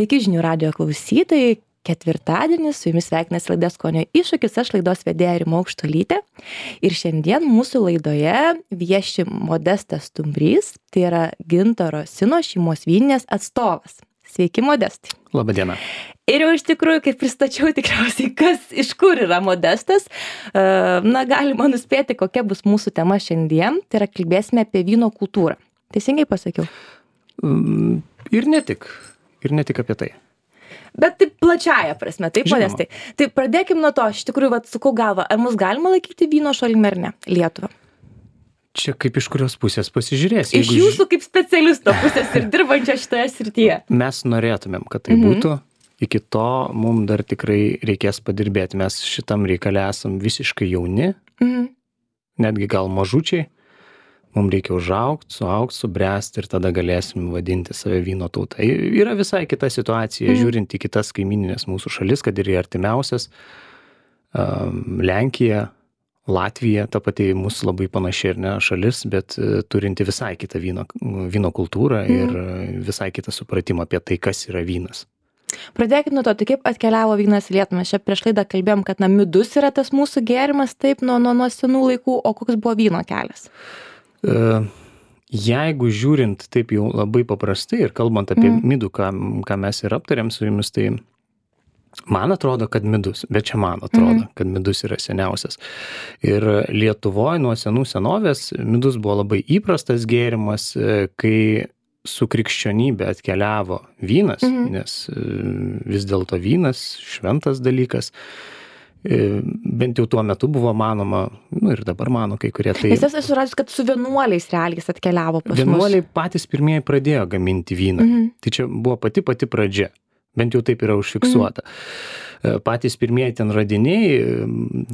Sveiki žinių radijo klausytojai, ketvirtadienis, su jumis sveikinasi laida Skonio iššūkis, aš laidos vedėja Rima Aukštuolytė. Ir šiandien mūsų laidoje vieši Modestas Stumbrys, tai yra Gintaro Sino šeimos vyninės atstovas. Sveiki, Modestai. Labadiena. Ir jau iš tikrųjų, kaip pristačiau tikriausiai, iš kur yra Modestas, galima nuspėti, kokia bus mūsų tema šiandien, tai yra kalbėsime apie vyno kultūrą. Teisingai pasakiau? Ir ne tik apie tai. Bet taip plačiaja prasme, taip, Modestai. Tai pradėkim nuo to, aš iš tikrųjų sukau galvą, ar mus galima laikyti vyno šalimi ar ne, Lietuvą? Čia kaip iš kurios pusės pasižiūrėsi. Iš jūsų kaip specialisto pusės ir dirbančio šitoje srityje. Mes norėtumėm, kad tai būtų. Iki to mums dar tikrai reikės padirbėti. Mes šitam reikale esam visiškai jauni, netgi gal mažučiai. Mums reikia užaugti, subręsti ir tada galėsim vadinti save vyno tauta. Yra visai kita situacija, žiūrint į kitas kaimininės mūsų šalis, kad ir į artimiausias. Lenkija, Latvija, ta pati mūsų labai panaši ir ne šalis, bet turinti visai kitą vyno kultūrą ir visai kitą supratimą apie tai, kas yra vynas. Pradėkime nuo to, tai kaip atkeliavo vynas į Lietuvą. Mes čia prieš laidą kalbėjom, kad midus yra tas mūsų gėrimas, taip, nuo senų laikų, o koks buvo vyno kelias? Jeigu žiūrint taip jau labai paprastai ir kalbant apie midų, ką mes ir aptarėm su jumis, tai man atrodo, kad midus, bet čia man atrodo, kad midus yra seniausias. Ir Lietuvoje nuo senų senovės midus buvo labai įprastas gėrimas, kai su krikščionybė atkeliavo vynas, nes vis dėlto vynas šventas dalykas. Bent jau tuo metu buvo manoma, ir dabar mano kai kurie tai. Nes esu radęs, kad su vienuoliais realiais atkeliavo pas mus. Vienuoliai patys pirmieji pradėjo gaminti vyną. Tai čia buvo pati pradžia. Bent jau taip yra užfiksuota. Patys pirmieji ten radiniai,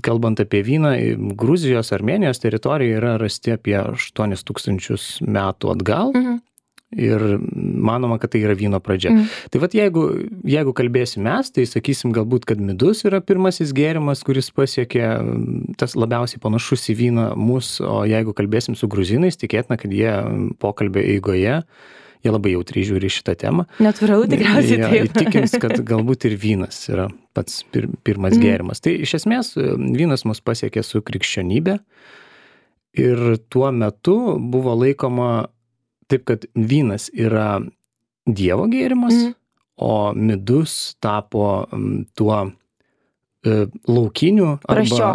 kalbant apie vyną, Gruzijos, Armėnijos teritorijoje yra rasti apie 8000 metų atgal. Ir manoma, kad tai yra vyno pradžia. Tai jeigu kalbėsim mes, tai sakysim galbūt, kad midus yra pirmasis gėrimas, kuris pasiekė tas labiausiai panašus į vyną mus, o jeigu kalbėsim su gruzinais, tikėtina, kad jie pokalbio eigoje, jie labai jautriai žiūri šitą temą. Natūralu tikriausiai taip. Įtikins, kad galbūt ir vynas yra pats pirmas gėrimas. Tai iš esmės vynas mus pasiekė su krikščionybė ir tuo metu buvo laikoma taip, kad vynas yra Dievo gėrimas, o midus tapo tuo laukiniu arba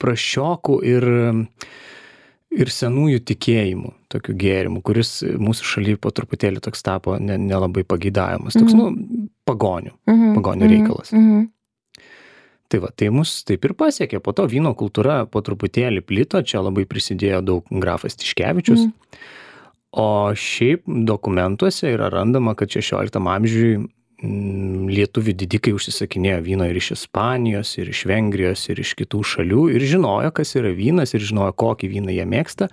praščiokų ir senųjų tikėjimų tokiu gėrimu, kuris mūsų šalyje po truputėlį toks tapo nelabai pageidavimas. Toks, pagonių reikalas. Tai mus taip ir pasiekė. Po to vyno kultūra po truputėlį plito, čia labai prisidėjo daug grafas Tiškevičius. O šiaip dokumentuose yra randama, kad 16 amžiui lietuvių didikai užsisakinėjo vyno ir iš Ispanijos, ir iš Vengrijos, ir iš kitų šalių, ir žinojo, kas yra vynas, ir žinojo, kokį vyną jie mėgsta,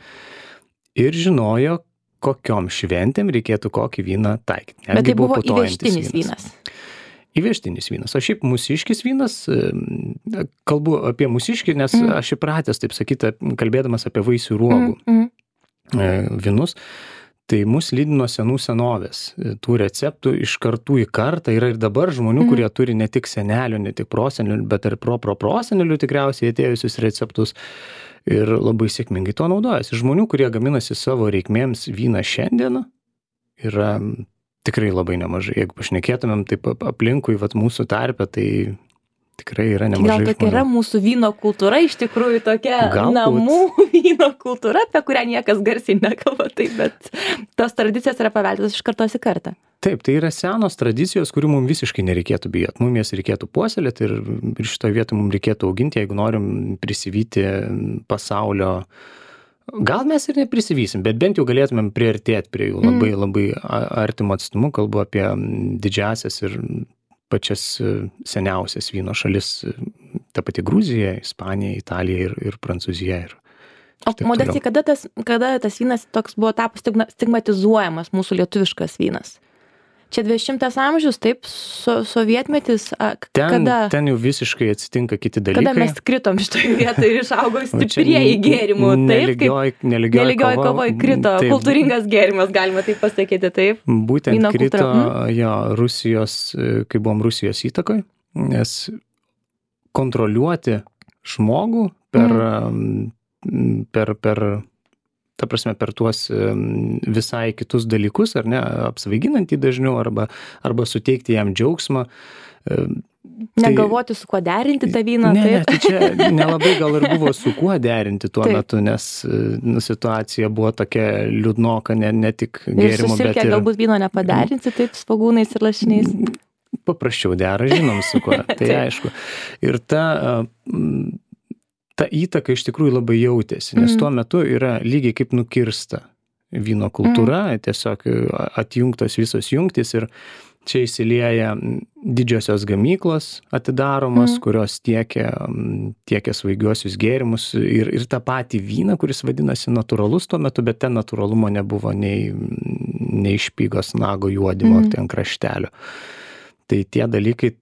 ir žinojo, kokiom šventėm reikėtų kokį vyną taikyti. Bet tai buvo įvežtinis vynas. Įvežtinis vynas. O šiaip mūsiškis vynas, kalbu apie mūsiškį, nes aš įpratęs, taip sakyti, kalbėdamas apie vaisių ruogų vynus, tai mus lydino senų senovės. Tų receptų iš kartų į kartą yra ir dabar žmonių, kurie turi ne tik senelių, ne tik prosenelių, bet ir prosenelių tikriausiai atėjusius receptus ir labai sėkmingai to naudojasi. Žmonių, kurie gaminasi savo reikmėms vyną šiandieną, yra tikrai labai nemažai. Jeigu pašnekėtumėm taip aplinkui mūsų tarpe, tai tikrai yra nemažai žmonių. Gal tokia yra mūsų vyno kultūra, iš tikrųjų tokia namų vyno kultūra, apie kurią niekas garsiai nekalba, bet tos tradicijos yra paveldėtos iš kartos į kartą. Taip, tai yra senos tradicijos, kurių mums visiškai nereikėtų bijoti. Mums jas reikėtų puoselėti ir šitoje vietoje mums reikėtų auginti, jeigu norim prisivyti pasaulio. Gal mes ir neprisivysim, bet bent jau galėtumėm priartėti prie jų labai artimo atstumu. Kalbu apie didžiasias ir pačias seniausias vyno šalis, ta pati Gruzija, Ispanija, Italija ir Prancūzija. O Modestai, kada tas vynas toks buvo tapus stigmatizuojamas, mūsų lietuviškas vynas? Čia 20 amžius, taip, sovietmetis, kada Ten jau visiškai atsitinka kiti dalykai. mes kritom šitoje vietoje ir išaugom stiprieji gėrimų, taip, neligioji kovoj krito, taip, kultūringas gėrimas, galima taip pasakyti, taip. Būtent Vyno krito kultūra. jo Rusijos, kai buvom Rusijos įtakoj, nes kontroliuoti žmogų ta prasme, per tuos visai kitus dalykus, ar ne, apsvaiginant jį dažniau, arba suteikti jam džiaugsmą. Negalvoti, su kuo derinti tą vyną, Ne, taip. tai čia nelabai gal ir buvo su kuo derinti tuo metu, nes situacija buvo tokia liūdnoka, ne tik Ir gėrimo, bet susilkę ir galbūt vyno nepaderinti, taip, svogūnais ir lašiniais. paprasčiau dera, žinom su kuo, tai aišku. Ir ta įtaka iš tikrųjų labai jautėsi, nes tuo metu yra lygiai kaip nukirsta vyno kultūra, tiesiog atjungtos visos jungtys ir čia įsilieja didžiosios gamyklos atidaromos, kurios tiekia svaigiuosius gėrimus ir tą patį vyną, kuris vadinasi natūralus tuo metu, bet ten natūralumo nebuvo nei špygos nago juodimo ten kraštelio. Tai tie dalykai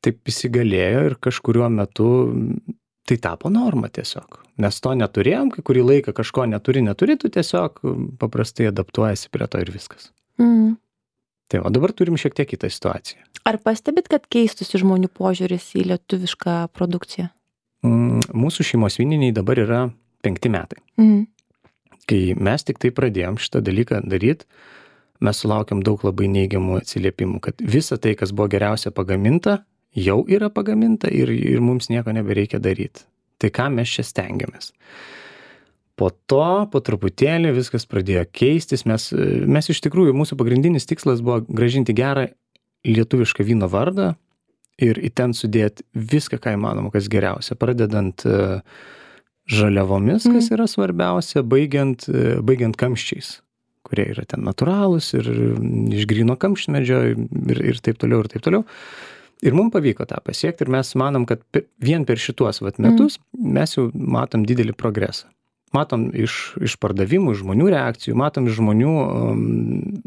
taip įsigalėjo ir kažkuriuo metu tai tapo norma tiesiog. Nes to neturėjom, kai kurį laiką kažko neturi, tu tiesiog paprastai adaptuojasi prie to ir viskas. Tai o dabar turim šiek tiek kitą situaciją. Ar pastebit, kad keistųsi žmonių požiūris į lietuvišką produkciją? Mūsų šeimos vyniniai dabar yra 5 metai. Kai mes tik tai pradėjom šitą dalyką daryti, mes sulaukėm daug labai neigiamų atsiliepimų, kad visa tai, kas buvo geriausia pagaminta, jau yra pagaminta ir mums nieko nebereikia daryti. Tai ką mes čia stengiamės? Po to, po truputėlį viskas pradėjo keistis. Mes iš tikrųjų, mūsų pagrindinis tikslas buvo grąžinti gerą lietuvišką vyno vardą ir į ten sudėti viską, ką įmanoma, kas geriausia. Pradedant žaliavomis, kas yra svarbiausia, baigiant kamščiais, kurie yra ten natūralūs ir iš gryno kamštmedžio ir taip toliau, ir taip toliau. Ir mums pavyko tą pasiekti ir mes manom, kad vien per šituos metus mes jau matom didelį progresą. Matom iš pardavimų, iš žmonių reakcijų, matom iš žmonių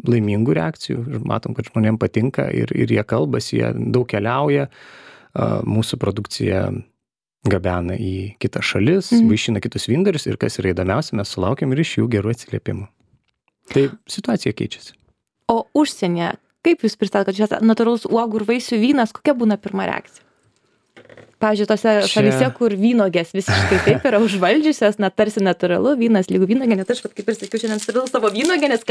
laimingų reakcijų, matom, kad žmonėms patinka ir jie kalbasi, jie daug keliauja, mūsų produkcija gabena į kitas šalis, vaišina kitus vyndarius ir kas yra įdomiausia, mes sulaukiam ir iš jų gerų atsiliepimų. Tai situacija keičiasi. O užsienyje, kaip jūs pristatot, kad čia natūralus uogų ir vaisių vynas, kokia būna pirma reakcija? Pavyzdžiui, tose šalyse, kur vynogės visiškai taip yra užvaldžiusios, tarsi natūralu, vynas lygų vynogė, net aš, kaip ir sakiau, šiandien turiu savo vynogę, nes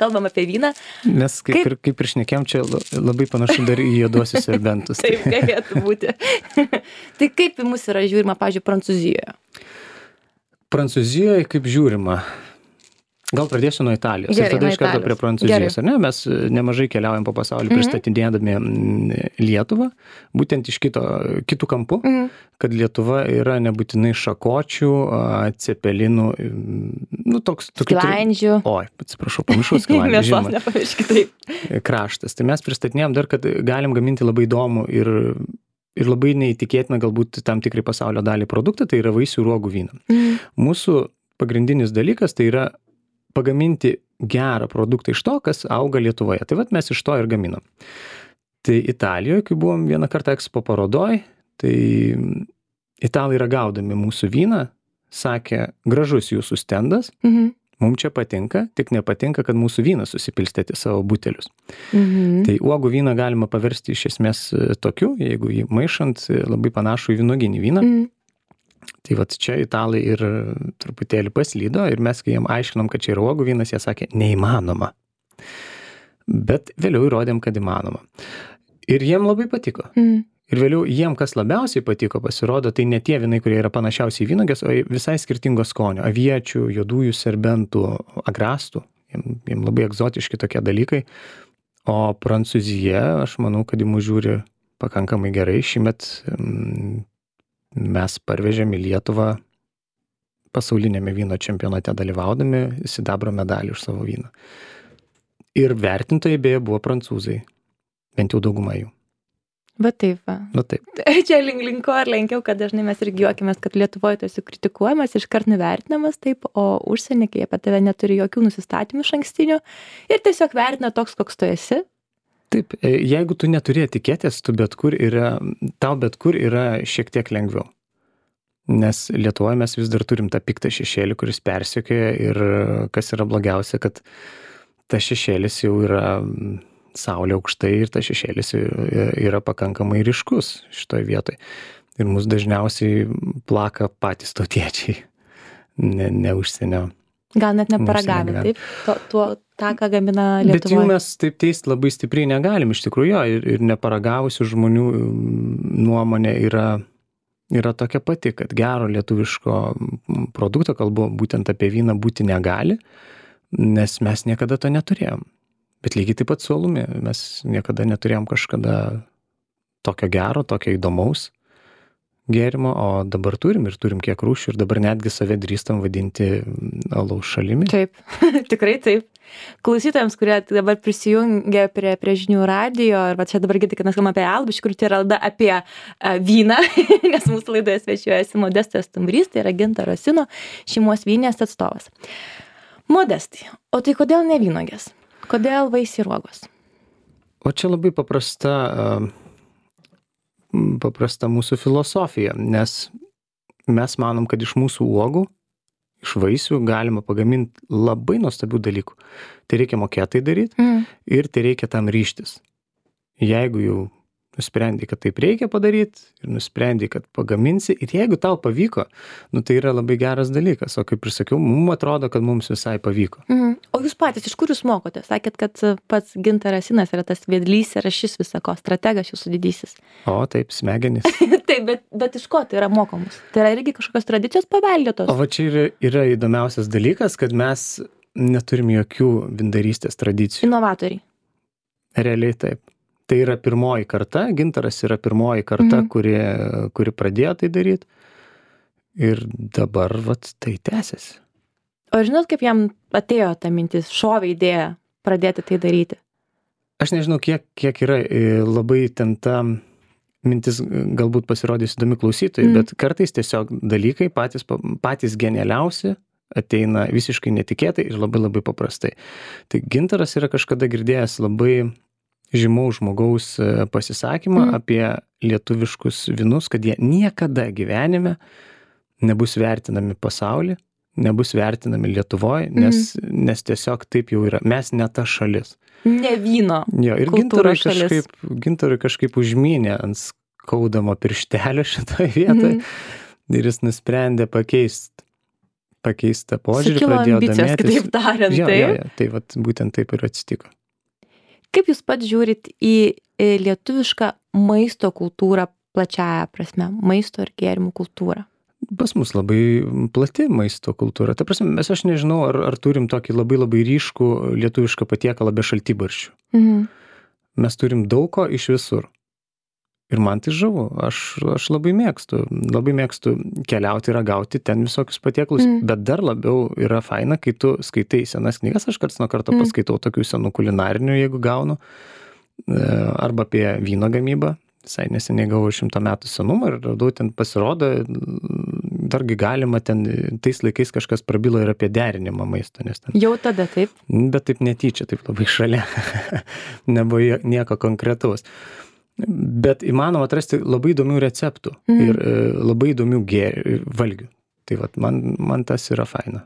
kalbam apie vyną. Mes kaip ir šnekėjom, čia labai panašu dar į juoduosius serbentus. Taip, galėtų būti. Tai kaip į mus yra žiūrima, pavyzdžiui, Prancūzijoje? Prancūzijoje kaip žiūrima? Gal pradėsiu nuo Italijos. Ir tada iš karto prie Prancūzijos. Ar ne? Mes nemažai keliaujam po pasaulį pristatinėdami Lietuvą, būtent iš kitų kampų, kad Lietuva yra nebūtinai šakočių, cepelinų, sklandžių. Oi, atsiprašau, pamiršau sklandžių. Mėsos nepamirškit, taip. Kraštas. Tai mes pristatinėjom dar, kad galim gaminti labai įdomų ir labai neįtikėtina galbūt tam tikrai pasaulio dalį produktą, tai yra vaisių ir uogų vyną. Mūsų pagrindinis dalykas tai yra pagaminti gerą produktą iš to, kas auga Lietuvoje. Tai mes iš to ir gaminam. Tai Italijoje, kai buvom vieną kartą Expo parodoj, tai italai ragaudami mūsų vyną, sakė, gražus jūsų stendas, mums čia patinka, tik nepatinka, kad mūsų vyną susipilstėti savo butelius. Tai uogų vyną galima paversti iš esmės tokiu, jeigu jį maišant labai panašų į vynuoginį vyną. Tai čia italai ir truputėlį paslydo ir mes, kai jiem aiškinom, kad čia yra uogų vynas, jie sakė, neįmanoma. Bet vėliau įrodėm, kad įmanoma. Ir jiem labai patiko. Ir vėliau jiem, kas labiausiai patiko, pasirodo, tai ne tie vynai, kurie yra panašiausiai vynogės, o visai skirtingo skonio. Aviečių, juodųjų serbentų, agrastų. Jiem labai egzotiški tokie dalykai. O Prancūzija, aš manau, kad į mus žiūri pakankamai gerai. Šįmet mes parvežėm į Lietuvą pasaulinėme vyno čempionate dalyvaudami sidabro medalį už savo vyną. Ir vertintojai beje buvo prancūzai, bent jau dauguma jų. Va taip va. Va taip. Čia linko ar lenkiau, kad dažnai mes irgi juokimės, kad Lietuvoje tu esi kritikuojamas, iškart nuvertinamas, taip, o užsienį, kai apie tave neturi jokių nusistatymų išankstinių ir tiesiog vertina toks, koks tu esi. Taip, jeigu tu neturi etiketės, tau bet kur yra šiek tiek lengviau. Nes Lietuvoje mes vis dar turim tą piktą šešėlį, kuris persekioja ir kas yra blogiausia, kad tas šešėlis jau yra saulė aukštai ir tas šešėlis yra pakankamai ryškus šitoje vietoje. Ir mus dažniausiai plaka patys tautiečiai, ne užsienio. Gal net neparagavę, taip? tą, ką gamina Lietuvoje. Bet jų mes taip teisti labai stipriai negalim, iš tikrųjų, ir neparagavusių žmonių nuomonė yra tokia pati, kad gero lietuviško produkto, kalbu būtent apie vyną, būti negali, nes mes niekada to neturėjom. Bet lygiai taip pat su alumi, mes niekada neturėjom kažkada tokio gero, tokio įdomaus gėrimo, o dabar turim kiek rūšių ir dabar netgi save drįstam vadinti alaus šalimi. Taip, tikrai taip. Klausytojams, kurie dabar prisijungia prie žinių radijo, ir va čia dabar girdite, kad mes kalbame apie alų, iš tikrųjų tai yra laida apie vyną, nes mūsų laidoje svečiuojasi Modestas Stumbrys, tai yra Gintaro Sino šeimos vynės atstovas. Modestai, o tai kodėl ne vynuogės? Kodėl vaisiai ir uogos? O čia labai paprasta mūsų filosofija, nes mes manom, kad iš mūsų uogų, iš vaisių galima pagaminti labai nuostabių dalykų. Tai reikia mokėti tai daryti ir tai reikia tam ryžtis. Jeigu jau nusprendai, kad taip reikia padaryti ir nusprendai, kad pagaminsi ir jeigu tau pavyko, tai yra labai geras dalykas. O kaip ir sakiau, mums atrodo, kad mums visai pavyko. O jūs patys, iš kur jūs mokote? Sakėt, kad pats Gintaras Sinas yra tas vedlys ir šis visako, strategas jūsų didysis. O taip, smegenys. Taip, bet iš ko tai yra mokomus? Tai yra irgi kažkokios tradicijos paveldėtos? O va čia yra įdomiausias dalykas, kad mes neturim jokių vyndarystės tradicijų. Inovatoriai. Realiai taip. Tai yra pirmoji karta, Gintaras yra pirmoji karta, kuri pradėjo tai daryti. Ir dabar tai tęsiasi. O žinot, kaip jam atėjo ta mintis, šovė idėja pradėti tai daryti? Aš nežinau, kiek yra labai ten ta mintis galbūt pasirodys įdomi klausytojai, bet kartais tiesiog dalykai patys genialiausi ateina visiškai netikėtai ir labai labai paprastai. Tai Gintaras yra kažkada girdėjęs labai žymaus žmogaus pasisakymą apie lietuviškus vynus, kad jie niekada gyvenime nebus vertinami pasauly, nebus vertinami Lietuvoje, nes tiesiog taip jau yra. Mes ne ta šalis. Ne vyno. Jo, ir Gintarui kažkaip užmynė ant skaudamo pirštelio šitoje vietoje ir jis nusprendė pakeisti požiūrį, pradėjo domėtis. Kitaip tariant, taip? Tai būtent taip ir atsitiko. Kaip jūs pats žiūrit į lietuvišką maisto kultūrą plačiąja prasme, maisto ir gėrimų kultūrą? Pas mus labai plati maisto kultūra. Ta prasme, aš nežinau, ar turim tokį labai labai ryškų lietuvišką patiekalą be šaltibarščių. Mes turim daug ko iš visur. Ir man tai žavu. Aš labai mėgstu keliauti, ragauti ten visokius patiekalus, bet dar labiau yra faina, kai tu skaitai senas knygas, aš karts nuo karto paskaitau tokių senų kulinarinių, jeigu gaunu, arba apie vyno gamybą. Visai neseniai gavau 100 metų senumą ir radau ten pasirodo, dargi galima ten, tais laikais kažkas prabilo ir apie derinimą maisto. Jau tada taip? Bet taip netyčia, taip labai šalia. Nebuvo nieko konkretaus. Bet įmanoma atrasti labai įdomių receptų ir labai įdomių valgių. Tai man tas yra faina.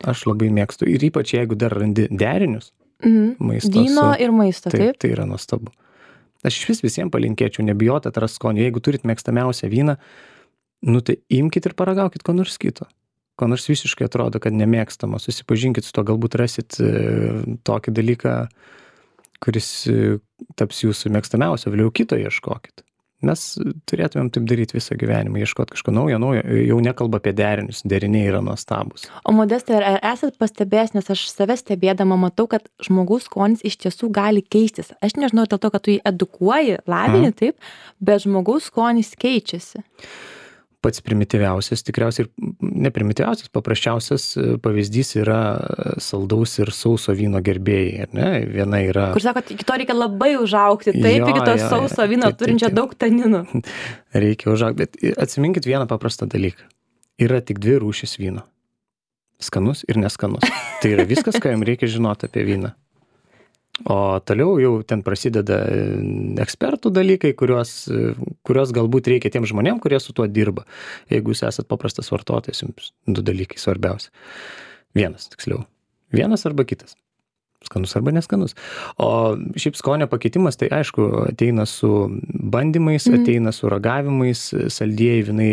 Aš labai mėgstu. Ir ypač jeigu dar randi derinius maisto. Vyno ir maisto, taip? Tai yra nuostabu. Aš iš visiems palinkėčiau, nebijoti atrasti skonį. Jeigu turit mėgstamiausią vyną, tai imkit ir paragaukit ko nors kito. Ko nors visiškai atrodo, kad nemėgstama. Susipažinkit su to, galbūt rasit tokį dalyką, kuris taps jūsų mėgstamiausio, vėliau kito ieškokit. Mes turėtumėm taip daryti visą gyvenimą, ieškoti kažko naujo, jau nekalba apie derinius, deriniai yra nuostabus. O Modestai, ar esat pastebėjęs, nes aš save stebėdama matau, kad žmogaus skonis iš tiesų gali keistis. Aš nežinau dėl to, kad tu jį edukuoji, lavini, taip, bet žmogaus skonis keičiasi. pats primityviausias, tikriausiai ir neprimityviausias, paprasčiausias pavyzdys yra saldaus ir sauso vyno gerbėjai, ar ne? Viena yra... Kur sako, iki to reikia labai užaugti, taip, iki to sauso vyno turinčio daug taninų. Reikia užaugti, bet atsiminkit vieną paprastą dalyką. Yra tik 2 rūšis vyno. Skanus ir neskanus. Tai yra viskas, ką jums reikia žinoti apie vyną. O toliau jau ten prasideda ekspertų dalykai, kurios galbūt reikia tiem žmonėm, kurie su tuo dirba. Jeigu jūs esat paprastas vartotojas, jums 2 dalykai svarbiausia. Vienas, tiksliau. Vienas arba kitas. Skanus arba neskanus. O šiaip skonio pakeitimas, tai aišku, ateina su bandymais, ateina su ragavimais, saldieji vynai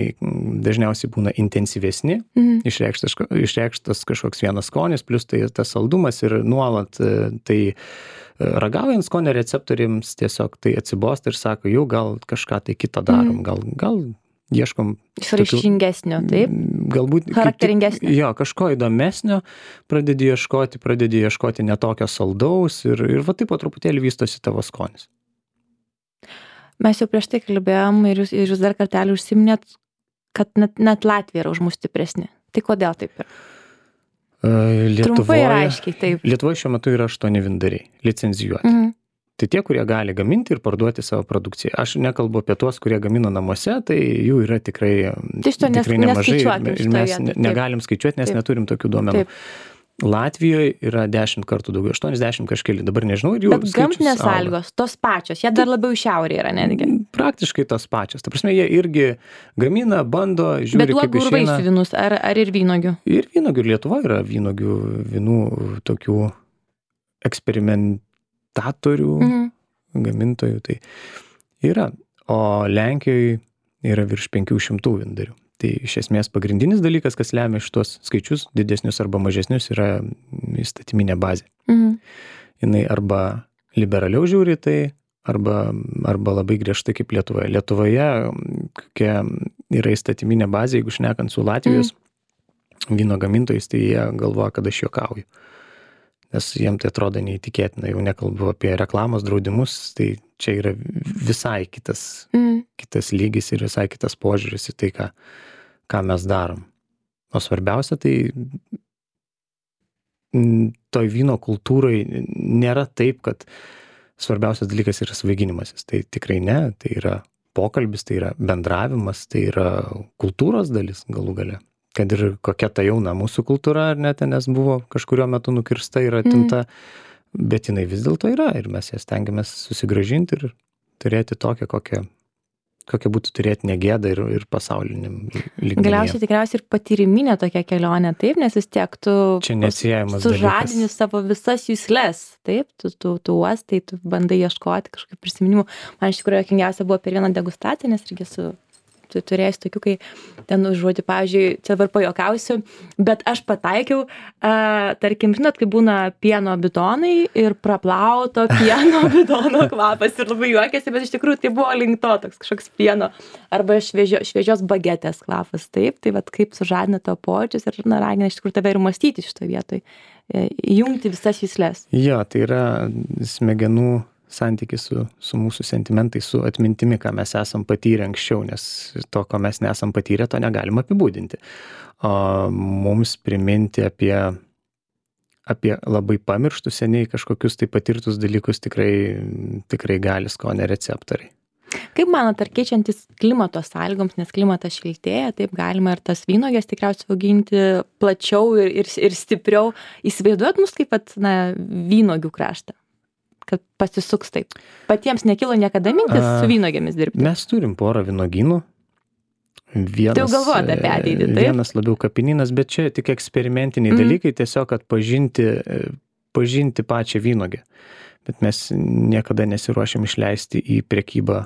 dažniausiai būna intensyvesni, išreikštas kažkoks vienas skonis, plus tai tas saldumas ir nuolat tai ragaujant skonio receptoriams tiesiog tai atsibosta ir sako, jau gal kažką tai kitą darom, gal ieškom išraiškingesnio, taip? Galbūt charakteringesnio. Jo, kažko įdomesnio, pradedi ieškoti netokio saldaus ir va taip po truputėlį vystosi tavo skonis. Mes jau prieš tai kalbėjom ir jūs dar kartelį užsiminėt, kad net Latvija yra už mus stipresni. Tai kodėl taip yra? Trumpai ir aiškiai, taip. Lietuvoje šiuo metu yra 8 vyndariai licencijuoti. Tai tie, kurie gali gaminti ir parduoti savo produkciją. Aš nekalbu apie tuos, kurie gamina namuose, tai jų yra tikrai nemažai ir mes negalim skaičiuoti, nes neturim tokių duomenų. Latvijoje yra 10 kartų daugiau, 80 kažkeli, dabar nežinau. Bet gamtinės sąlygos, tos pačios, jie dar labiau šiaurėje yra netgi. Praktiškai tos pačios. Ta prasme, jie irgi gamina, bando, žiūri, kaip išeina. Bet uogų ir vaisių vynus, ar ir vynogių? Ir vynogių, Lietuvoje yra vynogių, vynų tokių eksperimentatorių, gamintojų, tai yra. O Lenkijoje yra virš 500 vyndarių. Tai iš esmės pagrindinis dalykas, kas lemia šitos skaičius, didesnius arba mažesnius, yra įstatyminė bazė. Jinai arba liberaliau žiūri tai, arba labai griežtai kaip Lietuvoje. Lietuvoje kokia yra įstatyminė bazė, jeigu šnekant su Latvijos vyno gamintojais, tai jie galvoja, kad aš juokauju. Nes jiems tai atrodo neįtikėtina, jau nekalbu apie reklamos draudimus, tai čia yra visai kitas lygis ir visai kitas požiūris į tai, ką mes darom. O svarbiausia, tai toj vyno kultūrai nėra taip, kad svarbiausias dalykas yra svaiginimasis. Tai tikrai ne, tai yra pokalbis, tai yra bendravimas, tai yra kultūros dalis galų gale. Kad ir kokia ta jauna mūsų kultūra, ar net, nes buvo kažkurio metu nukirsta ir atimta, bet jinai vis dėlto yra ir mes ją stengiamės susigrąžinti ir turėti tokią, kokią būtų turėti negėdą ir pasauliniam lygmenyje. Galiausiai tikriausiai ir patyriminė tokia kelionė, taip, nes vis tiek tu sužadini savo visas jusles, taip, tu uostai, tu bandai ieškoti kažkokių prisiminimų. Man iš tikrųjų juokingiausia buvo per vieną degustaciją, nes irgi turėjęs tokių, kai ten užuoti, pavyzdžiui, čia dabar pajuokausiu, bet aš pataikiau, tarkim, žinot, kai būna pieno bidonai ir praplauto pieno bidono kvapas ir labai juokėsi, bet iš tikrųjų tai buvo link to toks kažkoks pieno arba šviežios bagetės kvapas, taip, tai vat kaip sužadina to pojūčius ir ragina iš tikrųjų tave ir mąstyti šitoje vietoje, jungti visas jusles. Jo, tai yra smegenų santykis su mūsų sentimentai, su atmintimi, ką mes esam patyrę anksčiau, nes to, ko mes nesam patyrę, to negalim apibūdinti. O mums priminti apie labai pamirštus seniai kažkokius tai patirtus dalykus tikrai gali skonio receptoriai. Kaip manot, ar keičiantis klimato sąlygoms, nes klimatas šiltėja, taip galima ir tas vynuoges tikriausiai auginti plačiau ir stipriau. Įsivaizduojat mus kaip vynuogių kraštą? Kad pasisuks taip. Patiems nekilo niekada mintis su vynuogėmis dirbti? Mes turim porą vynogynų. Tai jau galvojate apie ateitį, taip? Vienas labiau kapinynas, bet čia tik eksperimentiniai dalykai, tiesiog kad pažinti pačią vynogę. Bet mes niekada nesiruošiam išleisti į prekybą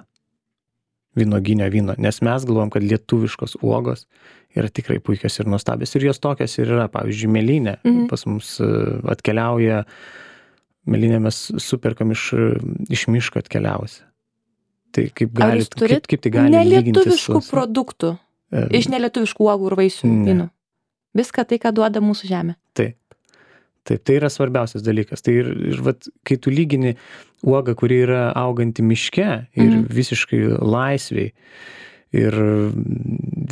vynoginio vyno, nes mes galvom, kad lietuviškos uogos yra tikrai puikios ir nuostabios. Ir jos tokios ir yra, pavyzdžiui, mėlynė pas mus atkeliauja. Mėlynę mes superkam iš miško atkeliausi. Tai kaip tai gali lyginti su... Nelietuviškų produktų, iš nelietuviškų uogų ir vaisių vynų. Viską tai, ką duoda mūsų žemė. Taip, tai yra svarbiausias dalykas. Tai ir vat, kai tu lygini uogą, kuri yra auganti miške ir visiškai laisviai ir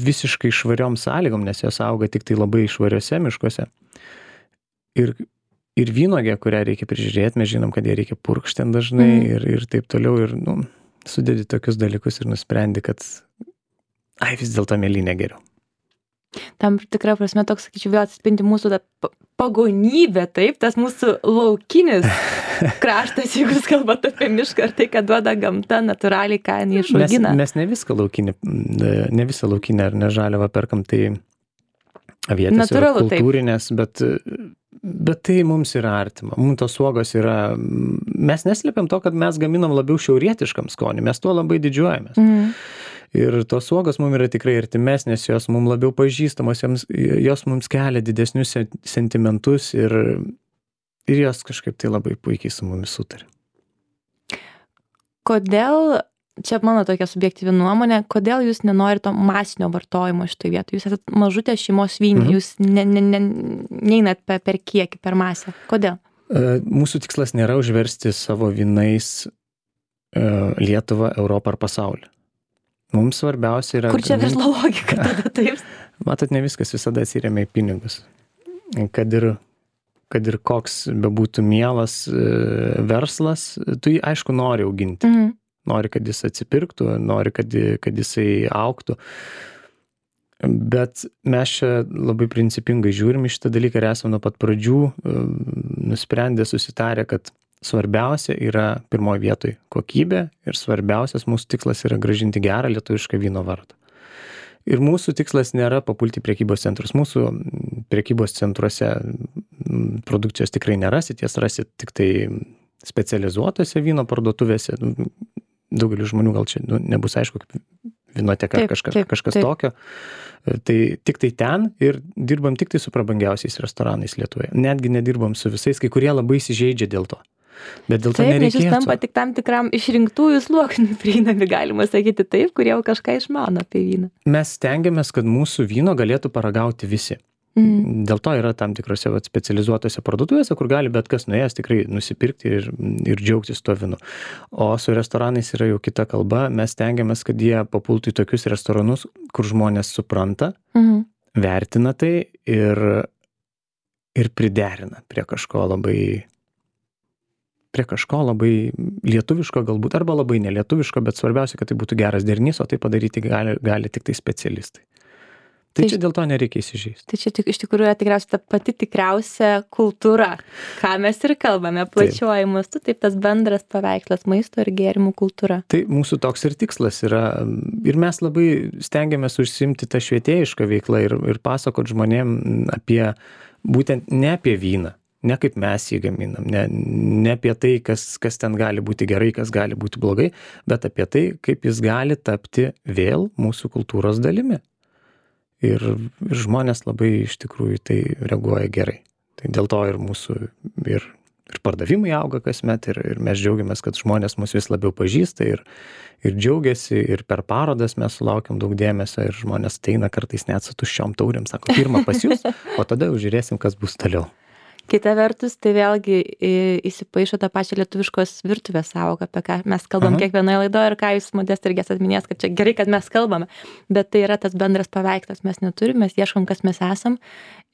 visiškai švariom sąlygom, nes jos auga tik tai labai švariuose miškuose. Ir vynogė, kurią reikia prižiūrėti, mes žinom, kad ją reikia purkšti ten dažnai ir taip toliau. Ir sudedi tokius dalykus ir nusprendi, kad vis dėlto mėlynė geriau. Tam tikra prasme toks, sakyčiau, vėl atsispindi mūsų pagonybė, taip, tas mūsų laukinis kraštas, jeigu jūs kalbate apie mišką, ar tai, kad duoda gamta natūraliai, ką jinai išaugina. Mes ne visą laukinę ar ne žaliavą perkam, tai avietės yra kultūrinės, bet tai mums yra artima. Mums tos uogos yra, mes neslėpiam to, kad mes gaminam labiau šiaurietiškam skoniui, mes tuo labai didžiuojamės. Ir tos uogos mums yra tikrai artimesnės, jos mums labiau pažįstamos, jos mums kelia didesnius sentimentus ir jos kažkaip tai labai puikiai su mumis sutarė. Kodėl, čia mano tokia subjektyvi nuomonė, kodėl jūs nenorite to masinio vartojimo šitoje vietoje? Jūs esate mažutė šeimos vynė, jūs neinat per kiekį, per masę. Kodėl? Mūsų tikslas nėra užversti savo vynais Lietuvą, Europą ar pasaulį. Mums svarbiausia yra... Kur čia verslo logika tada taip? Matot, ne viskas visada atsiremia į pinigus. Kad ir koks bebūtų mielas verslas, tu jį aišku nori auginti. Nori, kad jis atsipirktų, nori, kad jisai augtų. Bet mes čia labai principingai žiūrim į šitą dalyką ir esame nuo pat pradžių nusprendę, susitarę, kad svarbiausia yra pirmoje vietoje kokybė ir svarbiausias mūsų tikslas yra grąžinti gerą lietuvišką vyno vardą. Ir mūsų tikslas nėra papulti prekybos centrus. Mūsų prekybos centruose produkcijos tikrai nerasit, jas rasit tik tai specializuotose vyno parduotuvėse. Daugelis žmonių gal čia nebus aišku, kaip vinoteka ar kažkas tokio. Tai tik tai ten ir dirbam tik tai su prabangiausiais restoranais Lietuvoje. Netgi nedirbam su visais, kai kurie labai įsižeidžia dėl to. Bet dėl to nereikėtų. Taip, nes jūs tampa tik tam tikram išrinktųjų sluoksnių prieinami, galima sakyti taip, kurie jau kažką išmano apie vyną. Mes stengiamės, kad mūsų vyno galėtų paragauti visi. Dėl to yra tam tikrose specializuotose parduotuvėse, kur gali bet kas nuėjęs tikrai nusipirkti ir džiaugtis tuo vynu. O su restoranais yra jau kita kalba. Mes stengiamės, kad jie papultų į tokius restoranus, kur žmonės supranta, vertina tai ir priderina prie kažko labai lietuviško galbūt, arba labai nelietuviško, bet svarbiausia, kad tai būtų geras derinys, o tai padaryti gali tik tai specialistai. Tai čia dėl to nereikia įsižeisti. Tai čia iš tikrųjų yra tikriausiai ta pati tikriausia kultūra, ką mes ir kalbame, plačiuoju mastu, taip tas bendras paveikslas maisto ir gėrimų kultūra. Tai mūsų toks ir tikslas yra, ir mes labai stengiamės užsiimti tą švietėjišką veiklą ir pasakot žmonėm apie, būtent ne apie vyną, ne kaip mes jį gaminam, ne apie tai, kas ten gali būti gerai, kas gali būti blogai, bet apie tai, kaip jis gali tapti vėl mūsų kultūros dalimi. Ir žmonės labai iš tikrųjų tai reaguoja gerai. Tai dėl to ir mūsų ir pardavimai auga kasmet ir mes džiaugiamės, kad žmonės mus vis labiau pažįsta ir džiaugiasi ir per parodas mes sulaukiam daug dėmesio ir žmonės ateina kartais net su tuščiom taurėm, sako, pirmą pas jūs, o tada jau žiūrėsim, kas bus toliau. Kita vertus, tai vėlgi įsipaišo tą pačią lietuviškos virtuvės sąvoką, apie ką mes kalbam kiekvienoje laidoje ir ką jūs, Modesta, irgi atminės, kad čia gerai, kad mes kalbame, bet tai yra tas bendras paveikslas, mes neturime, mes ieškom, kas mes esam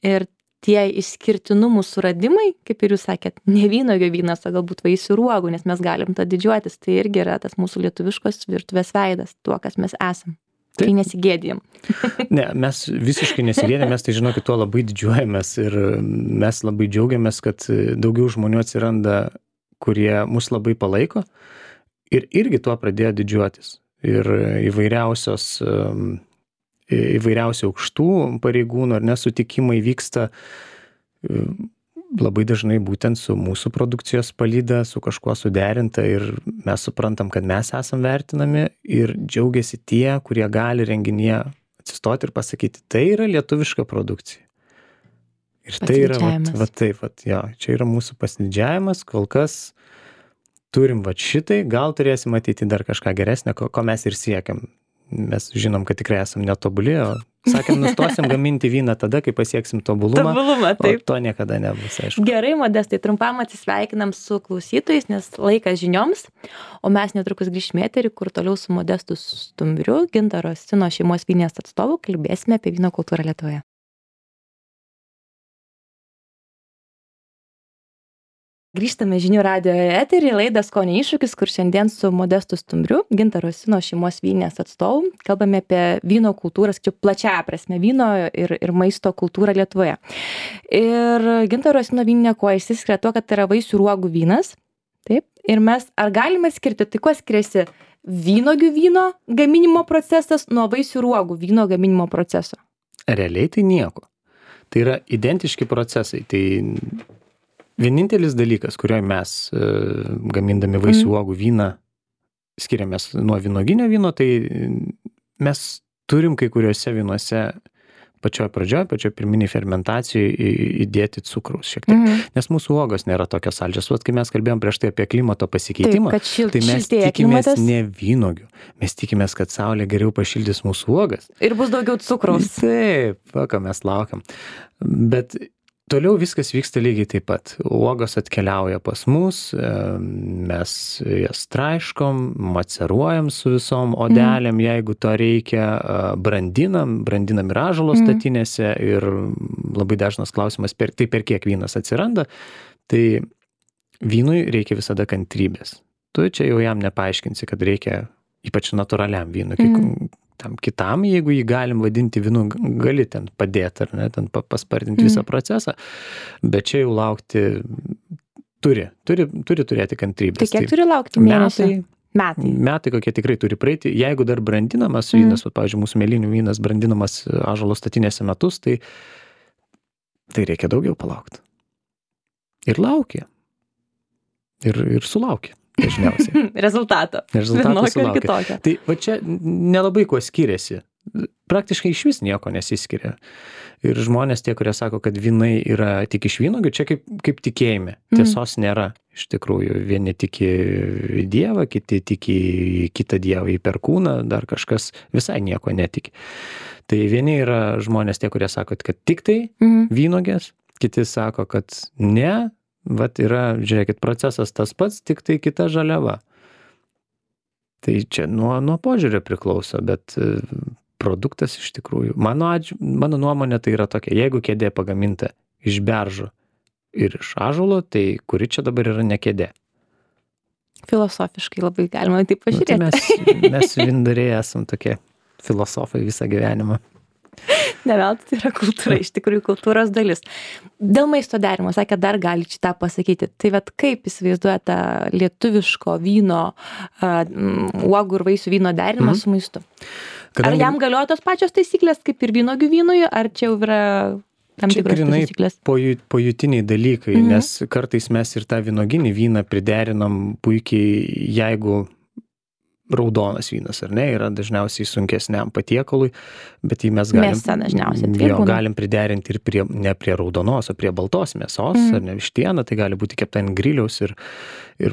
ir tie išskirtinumų suradimai, kaip ir jūs sakėt, ne vynuogių vynas, o galbūt vaisių ir uogų, nes mes galim tą didžiuotis, tai irgi yra tas mūsų lietuviškos virtuvės veidas, tuo, kas mes esam. Tai nesigėdijam. Ne, mes visiškai nesigėdijam, mes tai žinokit, tuo labai didžiuojamės ir mes labai džiaugiamės, kad daugiau žmonių atsiranda, kurie mus labai palaiko ir irgi tuo pradėjo didžiuotis. Ir įvairiausių aukštų pareigūnų ar nesutikimai vyksta labai dažnai būtent su mūsų produkcijos palyda, su kažkuo suderinta ir mes suprantam, kad mes esam vertinami ir džiaugiasi tie, kurie gali renginyje atsistoti ir pasakyti, tai yra lietuviška produkcija. Ir tai yra, čia yra mūsų pasididžiavimas, kol kas turim šitai, gal turėsim ateiti dar kažką geresnę, ko mes ir siekiam. Mes žinom, kad tikrai esam netobuli, Sakėm, nustosim gaminti vyną tada, kai pasieksim tobulumą. Tobulumą, taip. O to niekada nebus, aišku. Gerai, Modestai, trumpam atsisveikinam su klausytojais, nes laikas žinioms, o mes netrukus grįžime į eterį, kur toliau su Modestu Stumbriu, Gintaro Sino šeimos vynės atstovu, kalbėsime apie vyno kultūrą Lietuvoje. Grįžtame žinių radijo eterį, laida Skonio iššūkis, kur šiandien su Modestu Stumbriu, Gintaro Sino šeimos vynės atstovu, kalbame apie vyno kultūrą, čia plačiąja prasme, vyno ir maisto kultūrą Lietuvoje. Ir Gintaro Sino vyninė kuo išsiskiria tuo, kad tai yra vaisių ir uogų vynas. Taip. Ir mes, ar galime skirti, tai kuo skiriasi vynogių vyno gaminimo procesas nuo vaisių ir uogų vyno gaminimo proceso? Realiai tai nieko. Tai yra identiški procesai. Tai vienintelis dalykas, kurioje mes gamindami vaisių uogų vyną skiriamės nuo vynoginio vyno, tai mes turim kai kuriuose vynuose pačioj pirminiai fermentacijai įdėti cukraus šiek tiek. Nes mūsų uogos nėra tokios saldžios. Vat kai mes kalbėjom prieš tai apie klimato pasikeitimą, taip, tai mes tikimės ne vynogių. Mes tikimės, kad saulė geriau pašildys mūsų uogas. Ir bus daugiau cukraus. Taip, ką mes laukiam. Bet toliau viskas vyksta lygiai taip pat. Uogos atkeliauja pas mus, mes jas traiškom, maceruojam su visom odelėm, jeigu to reikia, brandinam ir ąžuolo statinėse ir labai dažnas klausimas, per kiek vynas atsiranda, tai vynui reikia visada kantrybės. Tu čia jau jam nepaaiškinsi, kad reikia ypač natūraliam vynui. Tam kitam, jeigu jį galim vadinti vynu, gali ten padėti, ar ne, ten paspartinti visą procesą, bet čia jau laukti turi turėti kantrybės. Tai kiek turi laukti mėnesį? Metai kokie tikrai turi praeiti. Jeigu dar brandinamas vynas, pavyzdžiui, mūsų mėlynių vynas brandinamas ąžuolo statinėse metus, tai reikia daugiau palaukti. Ir laukia. Ir sulaukia. Dažniausiai. Rezultato sulaukia. Tai va čia nelabai kuo skiriasi. Praktiškai iš vis nieko nesiskiria. Ir žmonės tie, kurie sako, kad vynai yra tik iš vynuogių, čia kaip tikėjime. Tiesos nėra. Iš tikrųjų, vieni tiki į Dievą, kiti tiki į kitą Dievą, į perkūną, dar kažkas visai nieko netiki. Tai vieni yra žmonės tie, kurie sako, kad tik tai vynuogės, kiti sako, kad ne. Vat yra, žiūrėkit, procesas tas pats, tik tai kita žaliava. Tai čia nuo požiūrio priklauso, bet produktas iš tikrųjų, mano nuomonė tai yra tokia, jeigu kėdė pagaminta iš beržo ir iš ąžuolo, tai kuri čia dabar yra ne kėdė? Filosofiškai labai galima taip pažiūrėti. Tai mes vindariai esam tokie filosofai visą gyvenimą. Neveltui tai yra kultūra, iš tikrųjų kultūros dalis. Dėl maisto derimo, sakė, dar gali šitą pasakyti. Tai vat kaip įsivaizduoja tą lietuviško vyno, uogų ir vaisių vyno derinimą su maistu? Ar jam galioja tos pačios taisyklės kaip ir vynogių vynui, ar čia jau yra tam tikros taisyklės? Čia pojūtiniai dalykai, nes kartais mes ir tą vynoginį vyną priderinam puikiai, jeigu raudonas vynas, ar ne, yra dažniausiai sunkesniam patiekalui, bet jį mes galim priderinti ir ne prie raudonos, o prie baltos mėsos, ar ne vištiena, tai gali būti kepta ant griliaus ir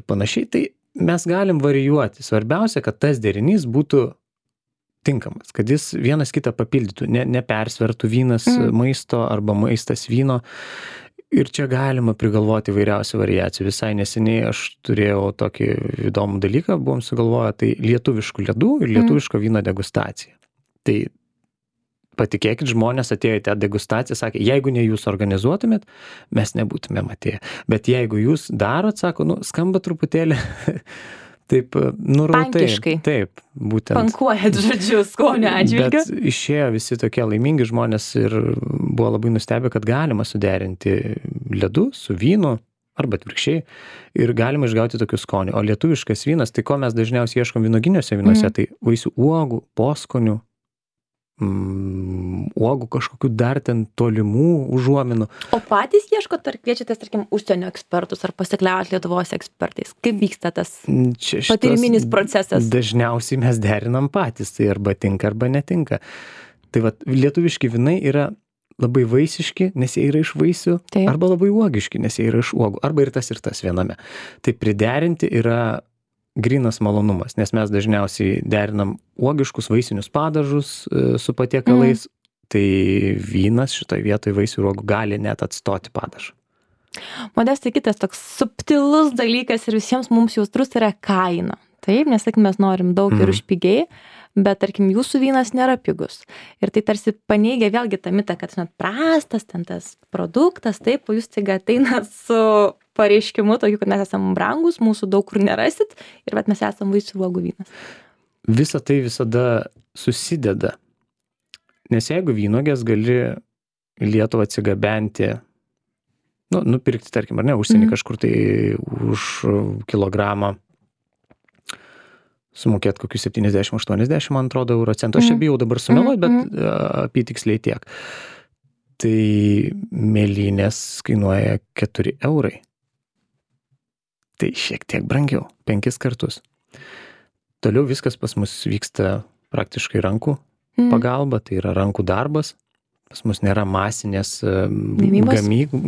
panašiai. Tai mes galim varijuoti. Svarbiausia, kad tas derinys būtų tinkamas, kad jis vienas kitą papildytų, nepersvertų vynas maisto arba maistas vyno. Ir čia galima prigalvoti įvairiausių variacijų. Visai neseniai aš turėjau tokį įdomų dalyką, buvom sugalvoję, tai lietuviškų ledų ir lietuviško vyno degustacija. Tai patikėkit, žmonės atėjo į tą degustaciją, sakė, jeigu ne jūs organizuotumėt, mes nebūtumėm atėję. Bet jeigu jūs darot, sako, skamba truputėlį taip, nurautai. Pankiškai. Taip, būtent. Pankuojat, žodžiu, skonio atžvilgiu. Bet išėjo visi tokie laimingi žmonės ir buvo labai nustebę, kad galima suderinti ledų su vynu arba atvirkščiai ir galima išgauti tokių skonių. O lietuviškas vynas, tai ko mes dažniausiai ieškom vynoginiuose vynuose, tai vaisių uogų, poskonių, uogų kažkokių dar ten tolimų užuominų. O patys ieškot, ar kviečiatės, tarkim, užsienio ekspertus, ar pasikliaujat Lietuvos ekspertais? Kaip vyksta tas patyriminis procesas? Dažniausiai mes derinam patys, tai arba tinka, arba netinka. Tai vat, lietuviški vynai yra labai vaisiški, nes jie yra iš vaisių, arba labai uogiški, nes jie yra iš uogų, arba ir tas viename. Tai priderinti yra grynas malonumas, nes mes dažniausiai derinam uogiškus vaisinius padažus su patiekalais, tai vynas šitoj vietoj vaisių uogų gali net atstoti padažą. Modestai, kitas toks subtilus dalykas ir visiems mums jautrus yra kaina. Taip, nes sakykim, mes norim daug ir už pigiai, bet tarkim jūsų vynas nėra pigus. Ir tai tarsi paneigia vėlgi tą mitą, kad net prastas ten tas produktas, taip, o jūs taiga ateina su pareiškimu tokiu, kad mes esam brangus, mūsų daug kur nerasit ir vat mes esam vaisių uogų vynas. Visa tai visada susideda. Nes jeigu vynuogės gali į Lietuvą atsigabenti, nupirkti, tarkim, ar ne, užsienį kažkur tai už kilogramą, sumokėti kokius 70-80, man atrodo, euro centų. Aš čia bijau dabar sumeluoti, bet apytiksliai tiek. Tai mėlynės kainuoja 4 eurai. Tai šiek tiek brangiau, 5 kartus. Toliau viskas pas mus vyksta praktiškai rankų pagalba, tai yra rankų darbas. Pas mus nėra masinės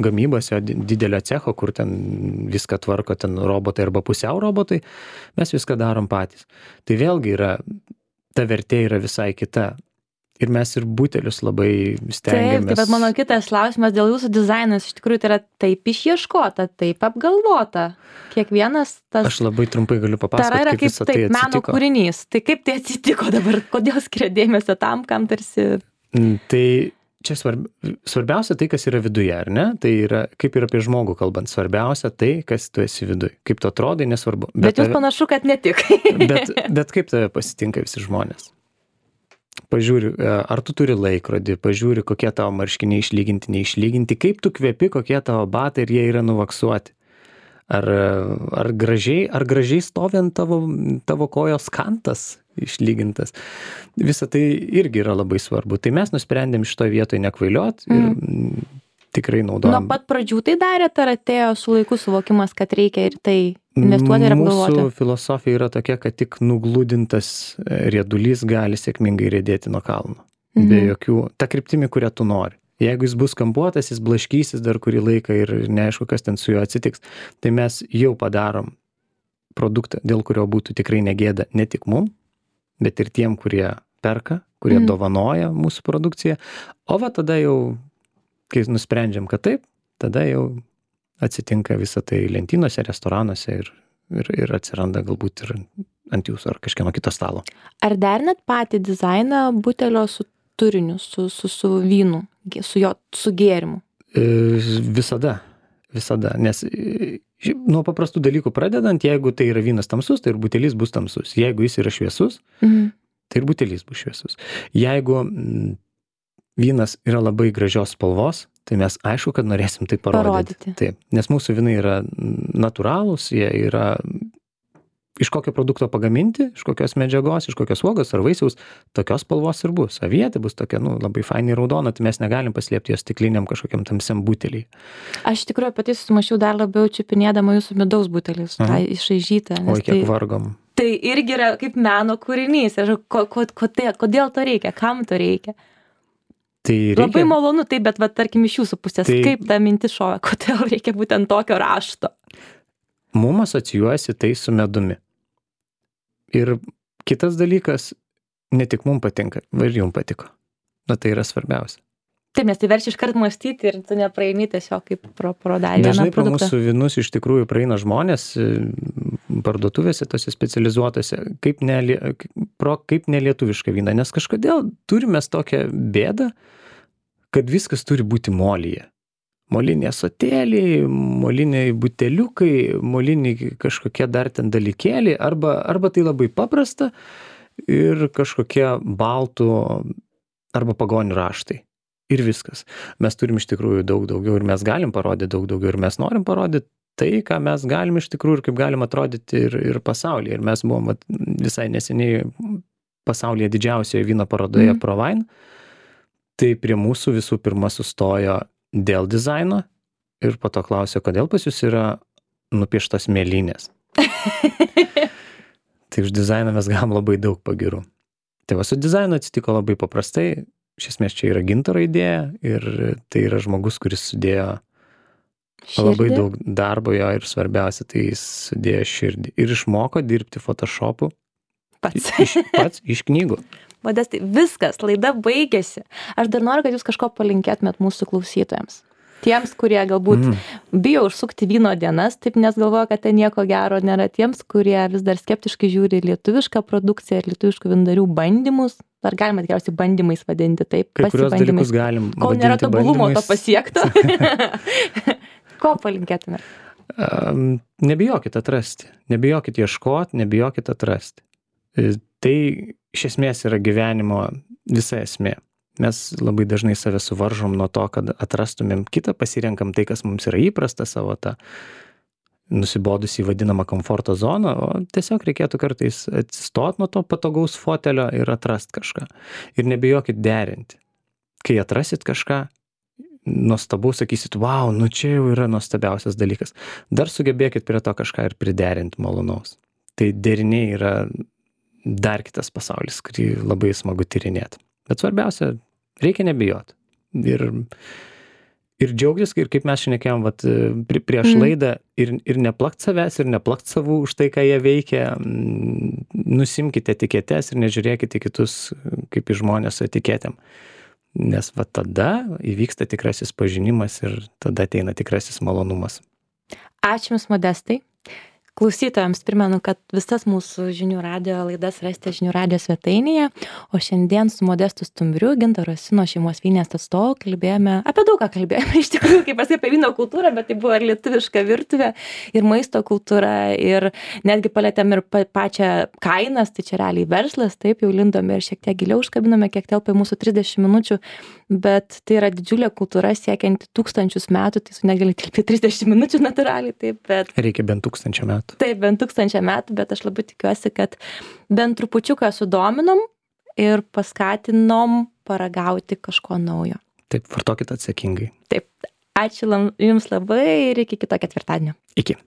gamybos, didelio cecho, kur ten viską tvarko ten robotai arba pusiau robotai, mes viską darom patys. Tai vėlgi ta vertė yra visai kita. Ir mes ir butelius labai stengiamės. Taip, bet mano kitas klausimas dėl jūsų dizainas, iš tikrųjų tai yra taip išieškota, taip apgalvota. Kiekvienas tas... Aš labai trumpai galiu papasakoti, kaip visą tai atsitiko. Meno kūrinys. Tai kaip tai atsitiko dabar? Kodėl skiria dėmesio tam, kam tarsi... Tai čia svarbiausia tai, kas yra viduje, ar ne? Tai yra, kaip ir apie žmogų kalbant, svarbiausia tai, kas tu esi viduje. Kaip tu atrodai, nesvarbu. Bet jūs panašu, kad ne tik. bet kaip tave pasitinka visi žmonės? Pažiūri, ar tu turi laikrodį, pažiūri, kokie tavo marškiniai išlyginti, neišlyginti, kaip tu kvepi, kokie tavo batai ir jie yra nuvaksuoti. Ar gražiai stovi ant tavo kojos kantas išlygintas. Visa tai irgi yra labai svarbu. Tai mes nusprendėm šitoje vietoje nekvailiot ir tikrai naudojam. Nuo pat pradžių tai darėt, ar atėjo su laiku suvokimas, kad reikia ir tai investuoti ir apgalvoti? Mūsų filosofija yra tokia, kad tik nugludintas riedulys gali sėkmingai riedėti nuo kalno. Be jokių, ta kryptimi, kurią tu nori. Jeigu jis bus kampuotas, jis blaškysis dar kurį laiką ir neaišku, kas ten su juo atsitiks, tai mes jau padarom produktą, dėl kurio būtų tikrai negėda ne tik mum, bet ir tiem, kurie perka, kurie dovanoja mūsų produkciją. O va tada jau, kai nusprendžiam, kad taip, tada jau atsitinka visą tai lentynose, restoranuose ir atsiranda galbūt ir ant jūsų ar kažkieno kito stalo. Ar derinat patį dizainą butelio su turiniu, su vynu, su gėrimu? Visada, nes nuo paprastų dalykų pradedant, jeigu tai yra vynas tamsus, tai ir butelis bus tamsus. Jeigu jis yra šviesus, tai ir butelis bus šviesus. Jeigu vynas yra labai gražios spalvos, tai mes aišku, kad norėsim tai parodyti. Taip, nes mūsų vynai yra natūralūs, jie yra iš kokio produkto pagaminti, iš kokios medžiagos, iš kokios uogos ar vaisiaus, tokios spalvos ir bus. Avietė bus tokia, labai fainai raudona, tai mes negalim paslėpti jos stikliniam kažkokiam tamsiam buteliai. Aš tikrai apie tai susimašiau dar labiau čiupinėdama jūsų midaus butelis, tą išraižytą. Oi, kiek vargom. Tai irgi yra kaip meno kūrinys. Kodėl to reikia? Kam to reikia? Tai reikia... Labai malonu, taip, bet tarkim iš jūsų pusės, kaip ta mintis šovė, kodėl reikia būtent tokio rašto? Mum asocijuojasi tai su medumi. Ir kitas dalykas, ne tik mum patinka, ir jum patiko. Tai yra svarbiausia. Taip, nes tai verčia iškart mąstyti ir tu nepraeini tiesiog kaip pro dar vieną produktą. Dažnai pro mūsų vynus iš tikrųjų praeina žmonės parduotuvėse, tose specializuotose, kaip nelietuvišką vyną. Nes kažkodėl turime tokią bėdą, kad viskas turi būti molyje. Moliniai ąsotėliai, moliniai buteliukai, moliniai kažkokie dar ten dalykėliai, arba tai labai paprasta ir kažkokie baltų arba pagonių raštai. Ir viskas. Mes turim iš tikrųjų daug daugiau ir mes galim parodyti daug daugiau ir mes norim parodyti tai, ką mes galim iš tikrųjų ir kaip galim atrodyti ir pasaulyje. Ir mes buvom visai neseniai pasaulyje didžiausioje vyno parodoje ProWine. Tai prie mūsų visų pirma sustojo dėl dizaino ir po to klausė, kodėl pas jūs yra nupieštos mėlynės. Tai už dizainą mes gavom labai daug pagirų. Tai va su dizainu atsitiko labai paprastai. Iš esmės čia yra gintaro idėja ir tai yra žmogus, kuris sudėjo labai daug darbo jo ir svarbiausia, tai jis sudėjo širdį. Ir išmoko dirbti Photoshopu pats iš knygų. Modestai, viskas, laida baigėsi. Aš dar noriu, kad jūs kažko palinkėtumėt mūsų klausytojams. Tiems, kurie galbūt bijo užsukti vyno dienas, taip nes galvoja, kad ten nieko gero nėra. Tiems, kurie vis dar skeptiškai žiūri lietuvišką produkciją ir lietuviškų vyndarių bandymus. Ar galima tikriausiai bandymais vadinti taip? Kai kurios dalykus galim vadinti bandymais. Kol nėra tobulumo to pasiekto. Ko palinkėtumėt? Nebijokit atrasti. Nebijokit ieškoti, nebijokit atrasti. Tai iš esmės yra gyvenimo visa esmė. Mes labai dažnai save suvaržom nuo to, kad atrastumėm kitą, pasirenkam tai, kas mums yra įprasta, savo tą nusibodusį vadinamą komforto zoną, o tiesiog reikėtų kartais atsistot nuo to patogaus fotelio ir atrast kažką. Ir nebijokit derinti. Kai atrasit kažką, nuostabu, sakysit, wow, nu čia jau yra nuostabiausias dalykas. Dar sugebėkit prie to kažką ir priderinti malonaus. Tai deriniai yra dar kitas pasaulis, kurį labai smagu tyrinėti. Bet svarbiausia, reikia nebijoti. Ir džiaugtis, ir kaip mes šnekėjom prieš laidą, ir neplakt savęs, ir neplakt savų už tai, ką jie veikia. Nusimkite etiketes ir nežiūrėkite kitus kaip į žmonės su etiketėm. Nes tada įvyksta tikrasis pažinimas ir tada ateina tikrasis malonumas. Ačiū Jums, Modestai. Klausytojams primenu, kad visas mūsų žinių radijo laidas rasite žinių radijo svetainėje, o šiandien su Modestu Stumbriu, Gintaro Sino šeimos vynės atstovu, kalbėjome apie daug ką iš tikrųjų, kaip apie vyno kultūrą, bet tai buvo ir lietuviška virtuvė, ir maisto kultūra, ir netgi palėtėm ir pačią kainas, tai čia realiai verslas, taip jau lindome ir šiek tiek giliau užkabinome, kiek telpa mūsų 30 minučių, bet tai yra didžiulė kultūra siekianti 1000 metų, tai su negali tilpti 30 minučių natūraliai, taip, bet... Reikia bent 1000 metų. Taip, bent 1000 metų, bet aš labai tikiuosi, kad bent trupučiuką sudominom ir paskatinom paragauti kažko naujo. Taip, vartokit atsakingai. Taip, ačiū Jums labai ir iki kito ketvirtadienio. Iki.